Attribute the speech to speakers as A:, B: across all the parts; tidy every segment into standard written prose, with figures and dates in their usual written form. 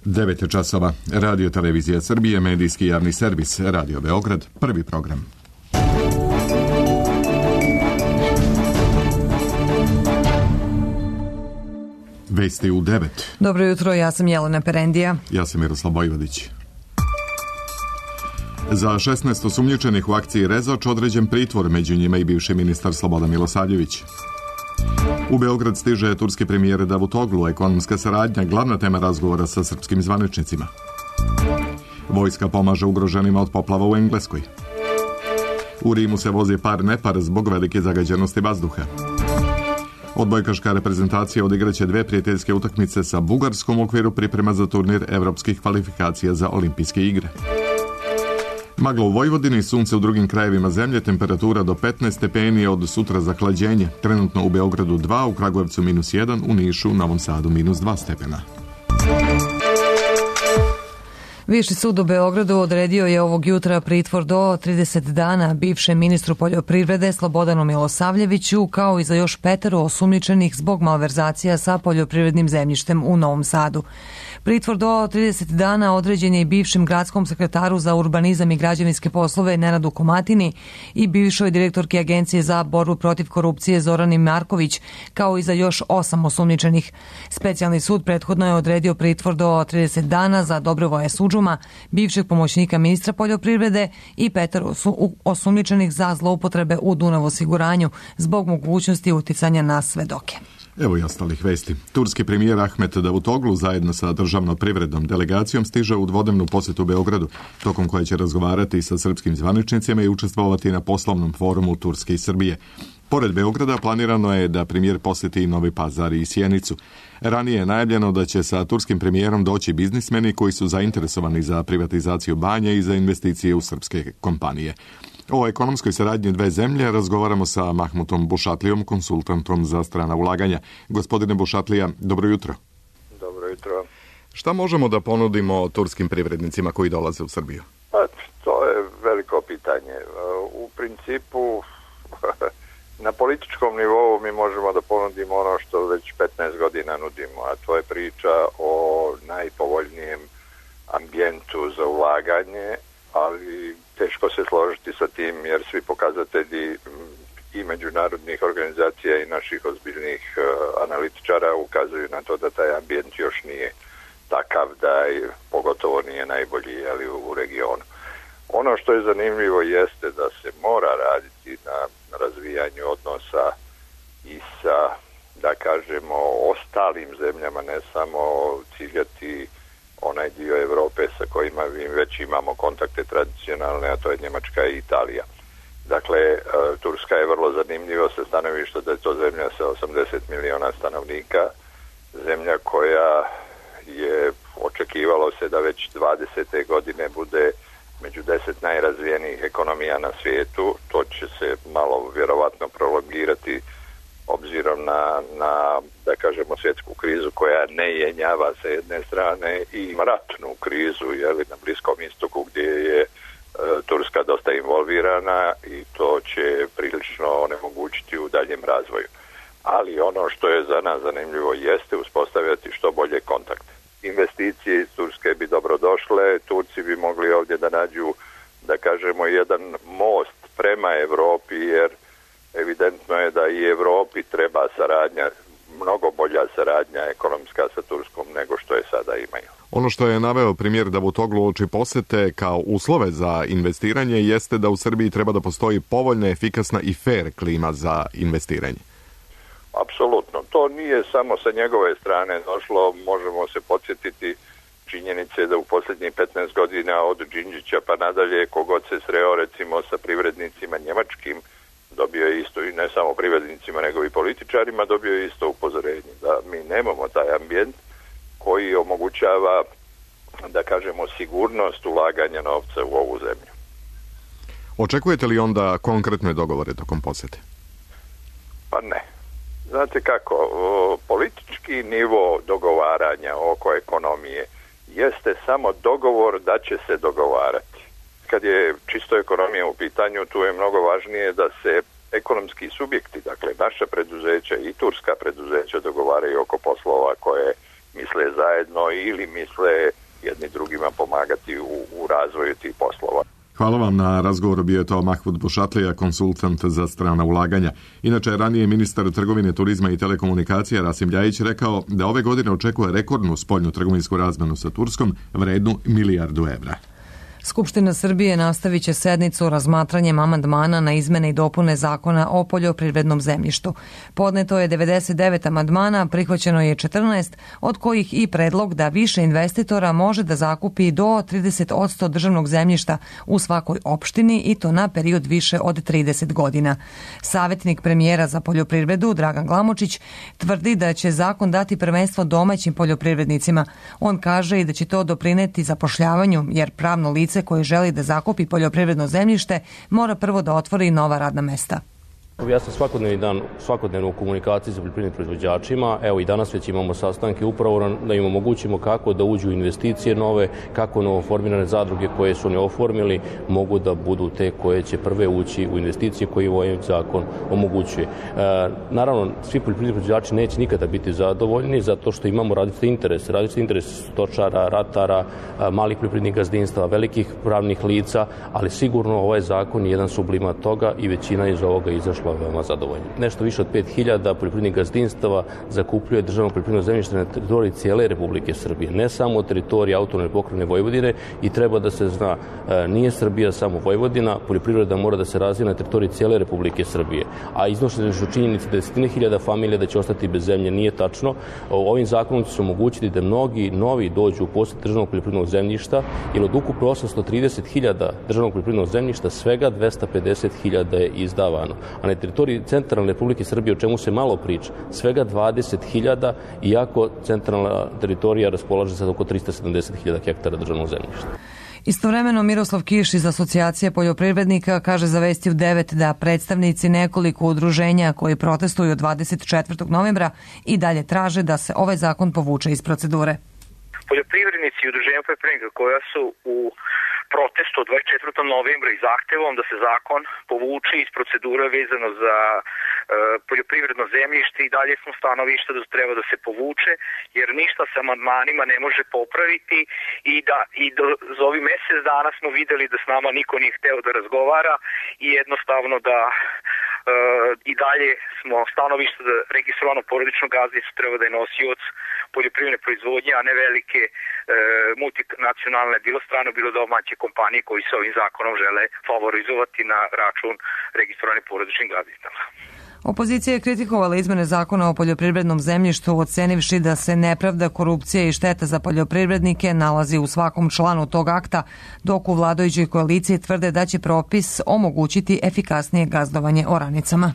A: 9 časova. Radio Televizija Srbije, medijski javni servis, Radio Beograd, prvi program. Vesti u 9.
B: Dobro jutro, ja sam Jelena Perendija.
A: Ja sam Miroslav Bojvodić. Za 16 osumnjičenih u akciji Rezač određen pritvor, među njima i bivši ministar Slobodan Milosavljević. U Beograd stiže turski premijer Davutoglu, ekonomska saradnja, glavna tema razgovora sa srpskim zvaničnicima. Vojska pomaže ugroženima od poplava u Engleskoj. U Rimu se vozi par-nepar zbog velike zagađenosti vazduha. Odbojkaška reprezentacija odigraće 2 prijateljske utakmice sa Bugarskom u okviru priprema za turnir evropskih kvalifikacija za olimpijske igre. Magla u Vojvodini, sunce u drugim krajevima zemlje, temperatura do 15 stepeni, od sutra zahlađenje. Trenutno u Beogradu 2, u Kragujevcu -1, u Nišu, Novom Sadu -2 stepena.
B: Viši sud u Beogradu odredio je ovog jutra pritvor do 30 dana bivšem ministru poljoprivrede Slobodanu Milosavljeviću, kao i za još 5 osumnjičenih zbog malverzacija sa poljoprivrednim zemljištem u Novom Sadu. Pritvor do 30 dana određen je i bivšem gradskom sekretaru za urbanizam i građevinske poslove Nenadu Komatini i bivšoj direktorki Agencije za borbu protiv korupcije Zorani Marković, kao i za još 8 osumnjičenih. Specijalni sud prethodno je odredio pritvor do 30 dana za Dobrovoja Sudžuma, bivšeg pomoćnika ministra poljoprivrede, i 5 osumnjičenih za zloupotrebe u Dunav osiguranju zbog mogućnosti uticanja na svedoke.
A: Evo i ostalih vesti. Turski premijer Ahmet Davutoglu zajedno sa državno privrednom delegacijom stiže u dvodnevnu posjetu Beogradu, tokom koje će razgovarati sa srpskim zvaničnicima i učestvovati na poslovnom forumu Turske i Srbije. Pored Beograda planirano je da premijer posjeti i Novi Pazar i Sjenicu. Ranije je najavljeno da će sa turskim premijerom doći biznismeni koji su zainteresovani za privatizaciju banja i za investicije u srpske kompanije. O ekonomskoj saradnji dve zemlje razgovaramo sa Mahmutom Bušatlijom, konsultantom za strana ulaganja. Gospodine Bušatlija, dobro jutro.
C: Dobro jutro.
A: Šta možemo da ponudimo turskim privrednicima koji dolaze u Srbiju?
C: Pa, to je veliko pitanje. U principu, na političkom nivou mi možemo da ponudimo ono što već 15 godina nudimo, a to je priča o najpovoljnijem ambijentu za ulaganje, ali teško se složiti sa tim jer svi pokazatelji i međunarodnih organizacija i naših ozbiljnih analitičara ukazuju na to da taj ambijent još nije takav, da pogotovo nije najbolji u regionu. Ono što je zanimljivo jeste da se mora raditi na razvijanju odnosa i sa, da kažemo, ostalim zemljama, ne samo ciljati onaj dio Evrope sa kojima već imamo kontakte tradicionalne, a to je Njemačka i Italija. Dakle, Turska je vrlo zanimljiva sa stanovišta da je to zemlja sa 80 miliona stanovnika, zemlja koja je, očekivalo se da već 20. godine bude među 10 najrazvijenijih ekonomija na svijetu. To će se malo vjerovatno prolongirati obzirom na da kažemo svjetsku krizu koja ne jenjava sa jedne strane i ratnu krizu na Bliskom istoku gdje je Turska dosta involvirana i to će prilično onemogućiti u daljem razvoju. Ali ono što je za nas zanimljivo jeste uspostavljati što bolje kontakte. Investicije iz Turske bi dobro došle, Turci bi mogli ovdje da nađu, da kažemo, jedan most prema Evropi, jer evidentno je da i Evropi treba saradnja, mnogo bolja saradnja ekonomska sa Turskom nego što je sada imaju.
A: Ono što je naveo premijer Davutoglu uoči posete kao uslove za investiranje jeste da u Srbiji treba da postoji povoljna, efikasna i fair klima za investiranje.
C: Apsolutno. To nije samo sa njegove strane došlo, možemo se podsjetiti činjenice da u posljednjih 15 godina od Đinđića pa nadalje kogod se sreo recimo sa privrednicima njemačkim, dobio je isto, i ne samo privrednicima nego i političarima, dobio je isto upozorenje da mi nemamo taj ambijent koji omogućava, da kažemo, sigurnost ulaganja novca u ovu zemlju.
A: Očekujete li onda konkretne dogovore tokom posjete?
C: Pa ne. Znate kako, politički nivo dogovaranja oko ekonomije jeste samo dogovor da će se dogovarati. Kad je čisto ekonomija u pitanju, tu je mnogo važnije da se ekonomski subjekti, dakle naša preduzeća i turska preduzeća dogovaraju oko poslova koje misle zajedno ili misle jedni drugima pomagati u razvoju tih poslova.
A: Hvala vam na razgovoru, bio je to Mahmud Bušatlija, konsultant za strana ulaganja. Inače, ranije ministar trgovine, turizma i telekomunikacija Rasim Ljajić rekao da ove godine očekuje rekordnu spoljnu trgovinsku razmenu sa Turskom vrednu $1 milijardu.
B: Skupština Srbije nastavit će sednicu razmatranjem amandmana na izmene i dopune Zakona o poljoprivrednom zemljištu. Podneto je 99 amandmana, prihvaćeno je 14, od kojih i predlog da više investitora može da zakupi do 30% državnog zemljišta u svakoj opštini i to na period više od 30 godina. Savjetnik premijera za poljoprivredu Dragan Glamočić tvrdi da će zakon dati prvenstvo domaćim poljoprivrednicima. On kaže i da će to doprineti zapošljavanju, jer pravno lice koje želi da zakupi poljoprivredno zemljište mora prvo da otvori nova radna mesta.
D: Ja sam svakodnevno u komunikaciji sa poljoprivrednim proizvođačima. Evo i danas već imamo sastanke upravo da im omogućimo kako da uđu investicije nove, kako novoformirane zadruge koje su ne oformili mogu da budu te koje će prve ući u investicije koje ovaj zakon omogućuje. Naravno, svi poljoprivredni proizvođači neće nikada biti zadovoljni zato što imamo različite interese stočara, ratara, malih poljoprivrednih gazdinstava, velikih pravnih lica, ali sigurno ovaj zakon je jedan sublimat toga i većina iz ovoga izašla veoma zadovoljni. Nešto više od 5000 poljoprivrednih gazdinstava zakupljuje državno poljoprivredno zemljište na teritoriji cijele Republike Srbije, ne samo teritoriji autonomne pokrajine Vojvodine i treba da se zna, nije Srbija samo Vojvodina, poljoprivreda mora da se razvija na teritoriji cijele Republike Srbije. A iznošene su činjenice da 10.000 familija da će ostati bez zemlje nije tačno. Ovim zakonom će se omogućiti da mnogi novi dođu u posjed državnog poljoprivrednog zemljišta, jer od ukupno 830.000 državnog poljoprivrednog zemljišta svega 250.000 je izdavano. A na teritoriji centralne Republike Srbije, o čemu se malo priča, svega 20.000, iako centralna teritorija raspolaže sa oko 370.000 hektara državnog zemljišta.
B: Istovremeno Miroslav Kiš iz Asocijacije poljoprivrednika kaže za Vesti u 9 da predstavnici nekoliko udruženja koji protestuju 24. novembra i dalje traže da se ovaj zakon povuče iz procedure.
E: Poljoprivrednici i udruženja poljoprivrednika koja su u protestu od 24. novembra i zahtevom da se zakon povuče iz procedure vezano za poljoprivredno zemljište i dalje smo stanovišta da treba da se povuče, jer ništa sa amandmanima ne može popraviti i za ovih mjesec dana smo videli da s nama niko nije hteo da razgovara i jednostavno da i dalje smo stanovišta da registrovano porodično gazdinstvo treba da je nosioc poljoprivredne proizvodnje, a ne velike multinacionalne, bilo strane, bilo domaće kompanije koji se ovim zakonom žele favorizovati na račun registrovanih porodičnih gazdinstava.
B: Opozicija je kritikovala izmene zakona o poljoprivrednom zemljištu, ocenivši da se nepravda, korupcija i šteta za poljoprivrednike nalazi u svakom članu tog akta, dok u vladajućoj koaliciji tvrde da će propis omogućiti efikasnije gazdovanje oranicama.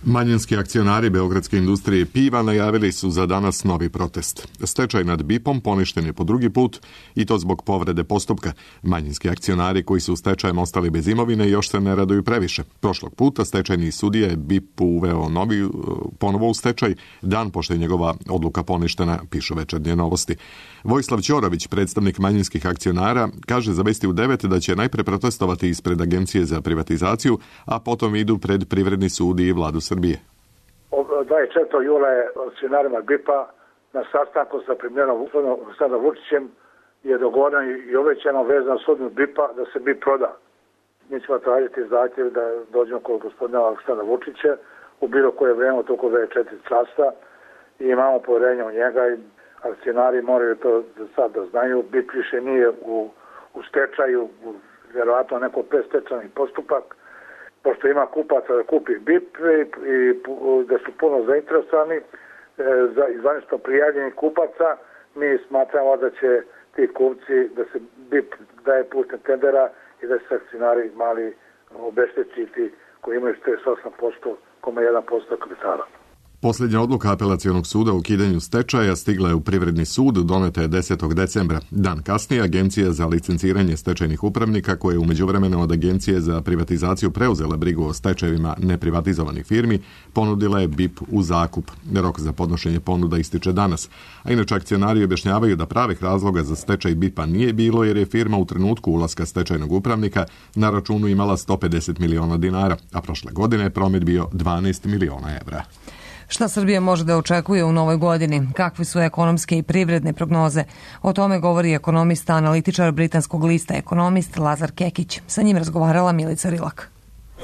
A: Manjinski akcionari Beogradske industrije piva najavili su za danas novi protest. Stečaj nad BIP-om poništen je po drugi put i to zbog povrede postupka. Manjinski akcionari koji su stečajem ostali bez imovine još se ne raduju previše. Prošlog puta stečajni sudija je BIP uveo ponovo u stečaj, dan pošto je njegova odluka poništena, pišu Večernje novosti. Vojislav Ćorović, predstavnik manjinskih akcionara, kaže za Vesti u 9 da će najpre protestovati ispred Agencije za privatizaciju, a potom idu pred Privredni sud i Vladu Srbije.
F: 24. jula je akcionarima BIP-a na sastanku sa premijerom Aleksandrom Vučićem je dogovoreno i obećano vezano sudbinu BIP-a da se BIP proda. Mi ćemo tražiti zahtjev da dođemo kod gospodina Aleksandra Vučića u bilo koje vreme od oko 24 časa i imamo povjerenje u njega i akcionari moraju to sad da znaju. BIP više nije u stečaju, vjerovatno neko predstečajni postupak, pošto ima kupaca da kupi BIP i da su puno zainteresovani za zvanično prijavljenih kupaca, mi smatramo da će ti kupci, da se BIP daje putem tendera i da se akcionari mali obeštećiti koji imaju 48,1% kapitala.
A: Posljednja odluka apelacionog suda o ukidanju stečaja stigla je u Privredni sud, doneta je 10. decembra. Dan kasnije Agencija za licenciranje stečajnih upravnika, koja je u međuvremenu od Agencije za privatizaciju preuzela brigu o stečajevima neprivatizovanih firmi, ponudila je BIP u zakup. Rok za podnošenje ponuda ističe danas. A inače akcionari objašnjavaju da pravih razloga za stečaj BIP-a nije bilo jer je firma u trenutku ulaska stečajnog upravnika na računu imala 150 miliona dinara, a prošle godine je promet bio 12 miliona evra.
B: Šta Srbija može da očekuje u novoj godini? Kakve su ekonomske i privredne prognoze? O tome govori ekonomista, analitičar britanskog lista Ekonomist Lazar Kekić. Sa njim razgovarala Milica Rilak.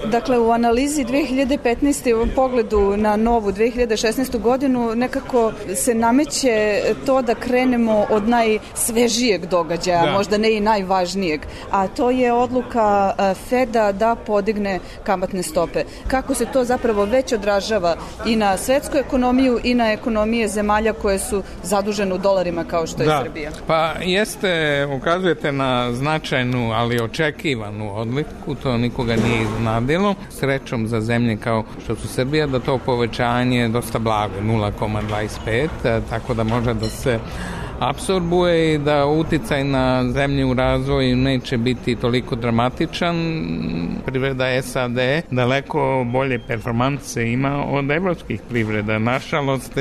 G: Dakle, u analizi 2015. u pogledu na novu 2016. godinu nekako se nameće to da krenemo od najsvežijeg događaja, možda ne i najvažnijeg, a to je odluka Feda da podigne kamatne stope. Kako se to zapravo već odražava i na svetsku ekonomiju i na ekonomije zemalja koje su zadužene u dolarima kao što je Srbija?
H: Pa jeste, ukazujete na značajnu, ali očekivanu odliku, to nikoga nije iznadilo. Srećom za zemlje kao što su Srbija, da to povećanje je dosta blago, 0,25, tako da može da se apsorbuje i da uticaj na zemlje u razvoju neće biti toliko dramatičan. Privreda SAD daleko bolje performanse ima od evropskih privreda. Nažalost,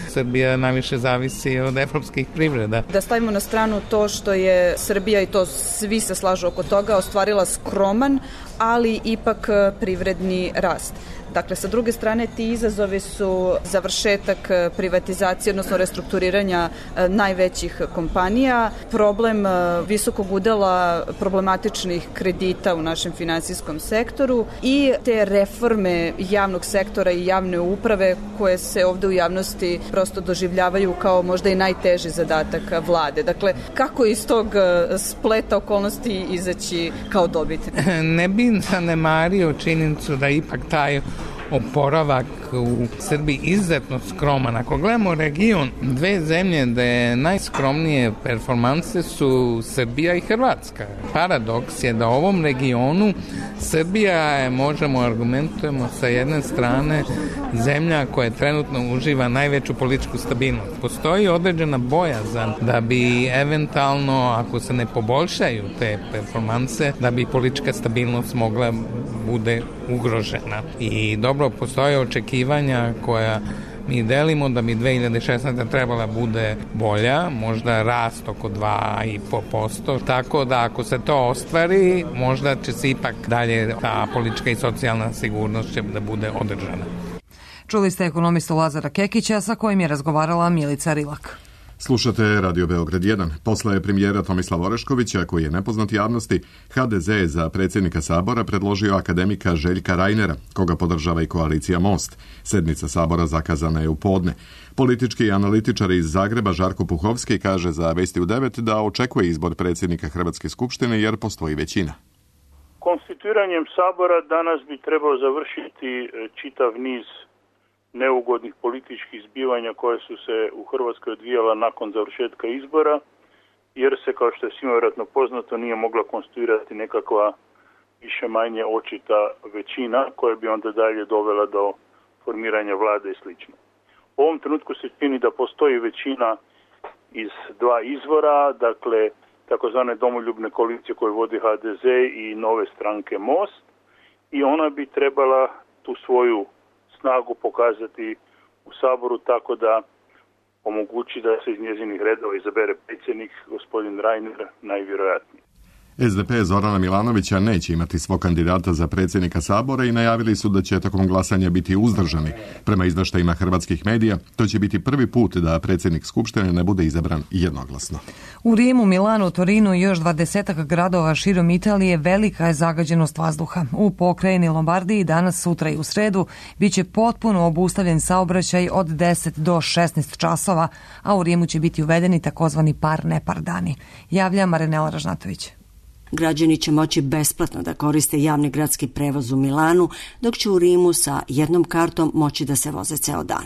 H: Srbija najviše zavisi od evropskih privreda.
G: Da stavimo na stranu to što je Srbija, i to svi se slažu oko toga, ostvarila skroman, ali ipak privredni rast. Dakle, sa druge strane, ti izazovi su završetak privatizacije, odnosno restrukturiranja najvećih kompanija, problem visokog udela problematičnih kredita u našem finansijskom sektoru i te reforme javnog sektora i javne uprave koje se ovde u javnosti prosto doživljavaju kao možda i najteži zadatak vlade. Dakle, kako iz tog spleta okolnosti izaći kao dobitnik?
H: Ne bi zanemario činjenicu da ipak taj oporavak u Srbiji izuzetno skroman. Ako gledamo region, dve zemlje da je najskromnije performanse su Srbija i Hrvatska. Paradoks je da u ovom regionu Srbija je, možemo argumentujemo sa jedne strane, zemlja koja trenutno uživa najveću političku stabilnost. Postoji određena bojazan da bi eventualno, ako se ne poboljšaju te performanse, da bi politička stabilnost mogla bude ugrožena. I dobro, postoje očekivanja koja mi delimo da bi 2016. trebala bude bolja, možda rast oko 2,5%, tako da ako se to ostvari, možda će se ipak dalje ta politička i socijalna sigurnost će da bude održana.
B: Čuli ste ekonomistu Lazara Kekića sa kojim je razgovarala Milica Rilak.
A: Slušate Radio Beograd 1. Posle premijera Tomislava Oreškovića, koji je nepoznat javnosti, HDZ je za predsjednika Sabora predložio akademika Željka Rajnera, koga podržava i koalicija Most. Sednica Sabora zakazana je u podne. Politički analitičar iz Zagreba Žarko Puhovski kaže za Vesti u 9 da očekuje izbor predsjednika Hrvatske skupštine jer postoji većina.
I: Konstituiranjem Sabora danas bi trebao završiti čitav niz neugodnih političkih zbivanja koje su se u Hrvatskoj odvijala nakon završetka izbora, jer se, kao što je svima vjerojatno poznato, nije mogla konstituirati nekakva više manje očita većina koja bi onda dalje dovela do formiranja vlade i sl. U ovom trenutku se čini da postoji većina iz dva izvora, dakle takozvane domoljubne koalicije koje vodi HDZ i nove stranke Most, i ona bi trebala tu svoju snagu pokazati u Saboru tako da omogući da se iz njezinih redova izabere predsjednik, gospodin Reiner, najvjerojatnije.
A: SDP Zorana Milanovića neće imati svog kandidata za predsjednika Sabora i najavili su da će tokom glasanja biti uzdržani. Prema izveštajima hrvatskih medija, to će biti prvi put da predsjednik Skupštine ne bude izabran jednoglasno.
B: U Rimu, Milanu, Torinu i još 20 gradova širom Italije velika je zagađenost vazduha. U pokrajini Lombardiji danas, sutra i u sredu biće potpuno obustavljen saobraćaj od 10 do 16 časova, a u Rimu će biti uvedeni takozvani par-nepar dani. Javlja Marinela Ražnatović.
J: Građani će moći besplatno da koriste javni gradski prevoz u Milanu, dok će u Rimu sa jednom kartom moći da se voze ceo dan.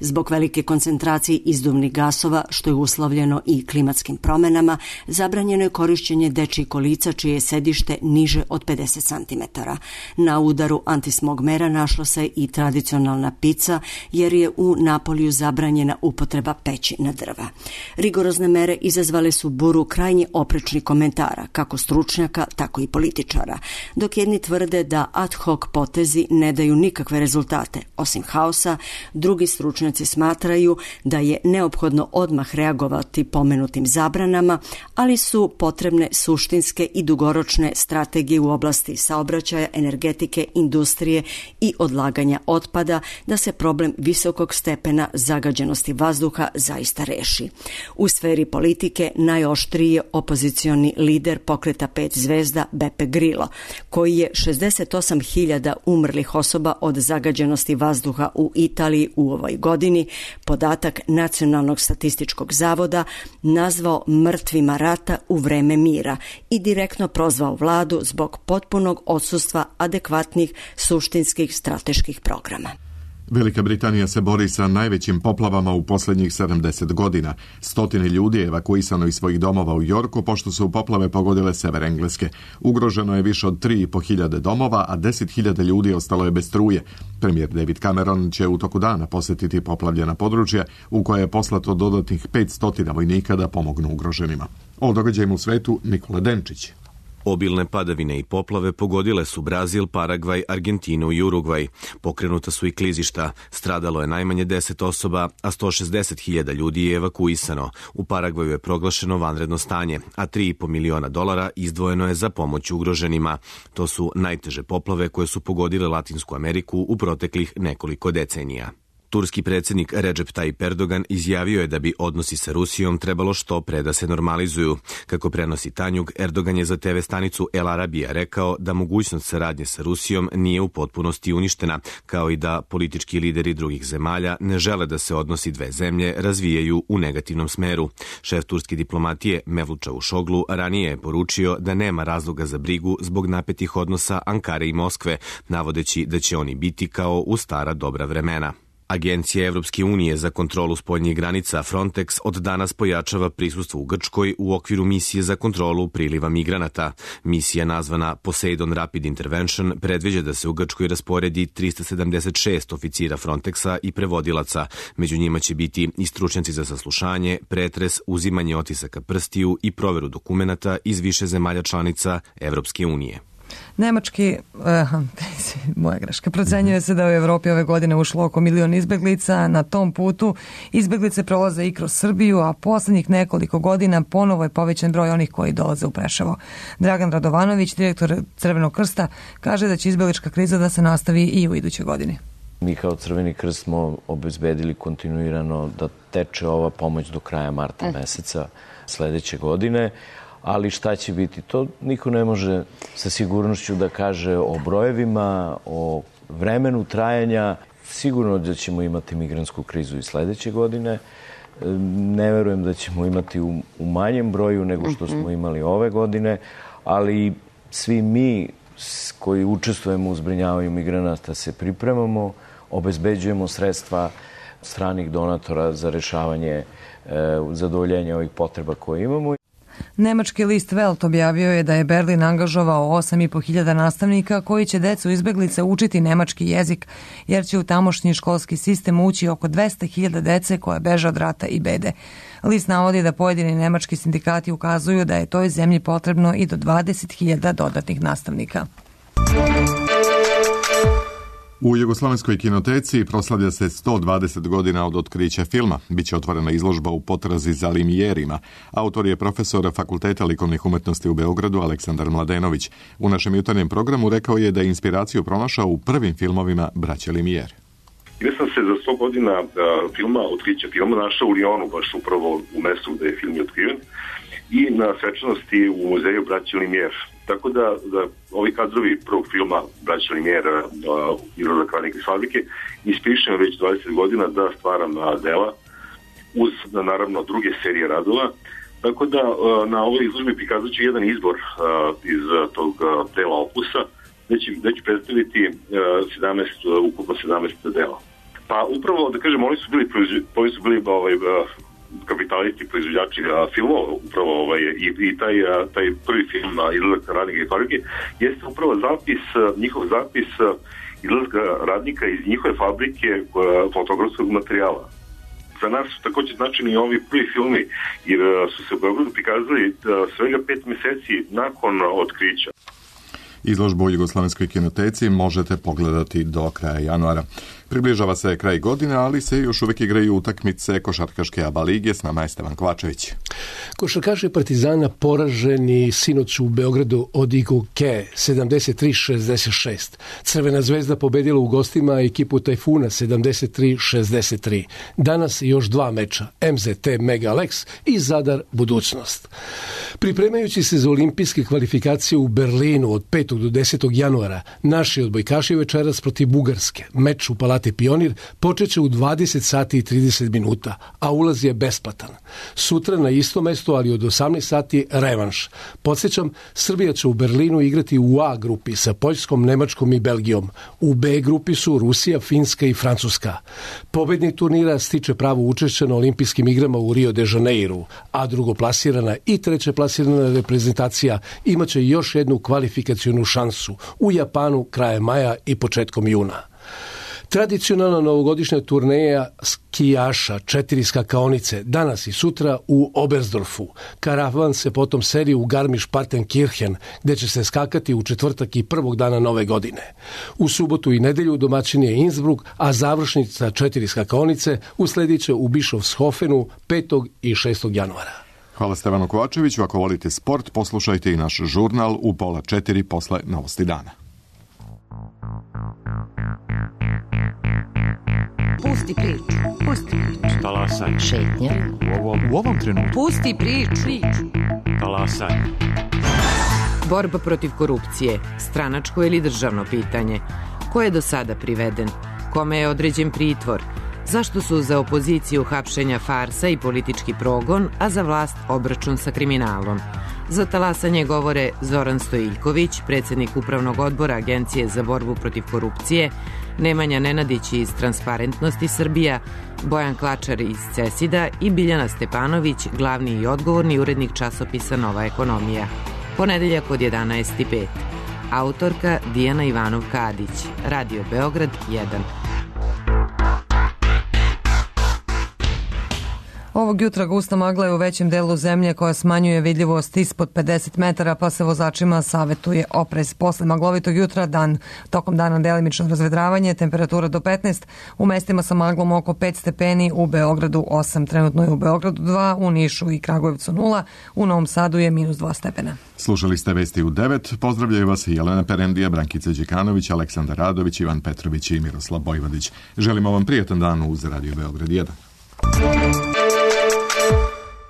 J: Zbog velike koncentracije izduvnih gasova, što je uslovljeno i klimatskim promenama, zabranjeno je korišćenje dečjih kolica čije je sedište niže od 50 cm. Na udaru antismog mera našla se i tradicionalna pica, jer je u Napoliju zabranjena upotreba peći na drva. Rigorozne mere izazvale su buru krajnje oprečnih komentara, kako stručnjaka, stručnjaka, tako i političara, dok jedni tvrde da ad hoc potezi ne daju nikakve rezultate. Osim haosa, drugi stručnjaci smatraju da je neophodno odmah reagovati pomenutim zabranama, ali su potrebne suštinske i dugoročne strategije u oblasti saobraćaja, energetike, industrije i odlaganja otpada da se problem visokog stepena zagađenosti vazduha zaista reši. U sferi politike najoštriji je opozicioni lider Pokreta 5 zvezda Beppe Grillo, koji je 68.000 umrlih osoba od zagađenosti vazduha u Italiji u ovoj godini, podatak Nacionalnog statističkog zavoda, nazvao mrtvima rata u vreme mira i direktno prozvao vladu zbog potpunog odsustva adekvatnih suštinskih strateških programa.
A: Velika Britanija se bori sa najvećim poplavama u posljednjih 70 godina. Stotine ljudi je evakuisano iz svojih domova u Yorku pošto su poplave pogodile sever Engleske. Ugroženo je više od 3.500 domova, a 10.000 ljudi ostalo je bez struje. Premijer David Cameron će u toku dana posjetiti poplavljena područja u koje je poslato dodatnih 500 vojnika da pomognu ugroženima. O događajima u svetu Nikola Denčić.
K: Obilne padavine i poplave pogodile su Brazil, Paragvaj, Argentinu i Urugvaj. Pokrenuta su i klizišta. Stradalo je najmanje 10 osoba, a 160.000 ljudi je evakuisano. U Paragvaju je proglašeno vanredno stanje, a $3,5 miliona izdvojeno je za pomoć ugroženima. To su najteže poplave koje su pogodile Latinsku Ameriku u proteklih nekoliko decenija. Turski predsjednik Recep Tayyip Erdogan izjavio je da bi odnosi sa Rusijom trebalo što pre da se normalizuju. Kako prenosi Tanjug, Erdogan je za TV stanicu El Arabija rekao da mogućnost saradnje sa Rusijom nije u potpunosti uništena, kao i da politički lideri drugih zemalja ne žele da se odnosi dve zemlje razvijaju u negativnom smeru. Šef turske diplomatije Mevlut Čavuşoglu ranije je poručio da nema razloga za brigu zbog napetih odnosa Ankare i Moskve, navodeći da će oni biti kao u stara dobra vremena. Agencija Evropske unije za kontrolu spoljnih granica Frontex od danas pojačava prisustvo u Grčkoj u okviru misije za kontrolu priliva migranata. Misija nazvana Poseidon Rapid Intervention predviđa da se u Grčkoj rasporedi 376 oficira Frontexa i prevodilaca. Među njima će biti i stručnjaci za saslušanje, pretres, uzimanje otisaka prstiju i proveru dokumenata iz više zemalja članica Evropske unije.
B: Nemački, moja greška, procenjuje se da u Evropi ove godine ušlo oko 1 milion izbeglica. Na tom putu izbeglice prolaze i kroz Srbiju, a poslednjih nekoliko godina ponovo je povećan broj onih koji dolaze u Preševo. Dragan Radovanović, direktor Crvenog krsta, kaže da će izbeglička kriza da se nastavi i u idućoj godini.
L: Mi kao Crveni krst smo obezbedili kontinuirano da teče ova pomoć do kraja marta meseca sledeće godine. Ali šta će biti? To niko ne može sa sigurnošću da kaže o brojevima, o vremenu trajanja. Sigurno da ćemo imati migrantsku krizu i sledeće godine. Ne verujem da ćemo imati u manjem broju nego što smo imali ove godine, ali svi mi koji učestvujemo u zbrinjavanju migranata se pripremamo, obezbeđujemo sredstva stranih donatora za rešavanje, zadovoljenja ovih potreba koje imamo.
B: Nemački list Welt objavio je da je Berlin angažovao 8.500 nastavnika koji će decu izbeglice učiti nemački jezik, jer će u tamošnji školski sistem ući oko 200.000 dece koje beže od rata i bede. List navodi da pojedini nemački sindikati ukazuju da je toj zemlji potrebno i do 20.000 dodatnih nastavnika.
A: U Jugoslovenskoj kinoteci proslavlja se 120 godina od otkrića filma. Biće otvorena izložba u potrazi za Limijerima. Autor je profesor Fakulteta likovnih umetnosti u Beogradu Aleksandar Mladenović. U našem jutarnjem programu rekao je da je inspiraciju pronašao u prvim filmovima braće Limijer.
M: Ja sam se za 100 godina otkrića filma našao u Lionu, baš upravo u mestu gde je film otkriven, i na svečanosti u muzeju braće Limijer. Tako da ovi kadrovi prvog filma braća Limijera, Izlazak radnika iz fabrike, inspirišem već 20 godina da stvaram dela uz naravno druge serije radova. Tako da na ovoj izložbi prikazat ću jedan izbor iz tog dela opusa, gde ću predstaviti ukupno 17 dela. Pa upravo da kažem, oni su bili kapitalisti, proizvođači filmova, upravo i taj prvi film Izlazak radnika iz fabrike jeste upravo njihov zapis izlazka radnika iz njihove fabrike fotografskog materijala. za nas su takođe značajni ovi prvi filmi, jer su se u Beogradu prikazali svega 5 meseci nakon otkrića.
A: Izložbu u Jugoslovenskoj kinoteci možete pogledati do kraja januara. Približava se kraj godine, ali se još uvek igraju utakmice košarkaške ABA lige. S nama je Stevan Kovačević.
N: Košarkaši Partizana poraženi sinoć u Beogradu od Iguke 73-66. Crvena zvezda pobedila u gostima ekipu Tajfuna 73-63. Danas još 2 meča, MZT Mega Alex i Zadar Budućnost. Pripremajući se za olimpijske kvalifikacije u Berlinu od 5. do 10. januara, naši odbojkaši večeras protiv Bugarske. Meč u Palati Pionir počeće u 20 sati i 30 minuta, a ulaz je besplatan. Sutra na isto mesto, ali od 18 sati revanš. Podsjećam, Srbija će u Berlinu igrati u A grupi sa Poljskom, Nemačkom i Belgijom. U B grupi su Rusija, Finska i Francuska. Pobednik turnira stiče pravo učešća na olimpijskim igrama u Rio de Janeiru, a drugoplasirana i trećeplasirana reprezentacija imaće još jednu kvalifikacionu šansu u Japanu krajem maja i početkom juna. Tradicionalna novogodišnja turneja skijaša 4 skakaonice danas i sutra u Oberstdorfu. Karavan se potom seli u Garmisch-Partenkirchen, gde će se skakati u četvrtak i prvog dana nove godine. U subotu i nedelju domaćin je Innsbruck, a završnica 4 skakaonice usledit će u Bischofshofenu 5. i 6. januara.
A: Hvala Stevanu Kovačeviću. Ako volite sport, poslušajte i naš žurnal u 3:30 posle Novosti dana.
O: Pusti priču. Pusti priču.
P: Talasaj.
O: Šetnja.
P: U ovom trenutku.
O: Pusti priču.
P: Talasaj.
O: Borba protiv korupcije. Stranačko ili državno pitanje. Ko je do sada priveden? Kome je određen pritvor? Zašto su za opoziciju hapšenja farsa i politički progon, a za vlast obračun sa kriminalom? Za talasanje govore Zoran Stojiljković, predsjednik Upravnog odbora Agencije za borbu protiv korupcije, Nemanja Nenadić iz Transparentnosti Srbija, Bojan Klačar iz CESID-a i Biljana Stepanović, glavni i odgovorni urednik časopisa Nova ekonomija. Ponedeljak od 11:05. Autorka Dijana Ivanov-Kadić. Radio Beograd 1.
B: Ovog jutra gusta magla je u većem delu zemlje koja smanjuje vidljivost ispod 50 metara, pa se vozačima savetuje oprez. Posle maglovitog jutra tokom dana delimično razvedravanje, temperatura do 15, u mestima sa maglom oko 5 stepeni, u Beogradu 8, trenutno je u Beogradu 2, u Nišu i Kragujevcu 0, u Novom Sadu je -2 stepena.
A: Slušali ste vesti u 9, pozdravljaju vas Jelena Perendija, Brankica Đekanović, Aleksandar Radović, Ivan Petrović i Miroslav Bojvodić. Želimo vam prijatan dan uz Radio Beograd 1.